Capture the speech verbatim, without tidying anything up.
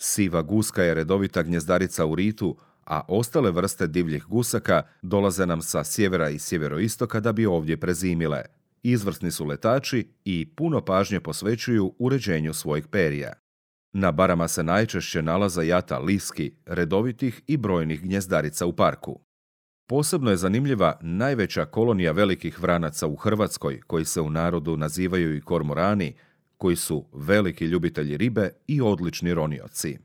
Siva guska je redovita gnjezdarica u ritu, a ostale vrste divljih gusaka dolaze nam sa sjevera i sjeveroistoka da bi ovdje prezimile. Izvrsni su letači i puno pažnje posvećuju uređenju svojih perija. Na barama se najčešće nalaze jata liski, redovitih i brojnih gnjezdarica u parku. Posebno je zanimljiva najveća kolonija velikih vranaca u Hrvatskoj, koji se u narodu nazivaju i kormorani, koji su veliki ljubitelji ribe i odlični ronioci.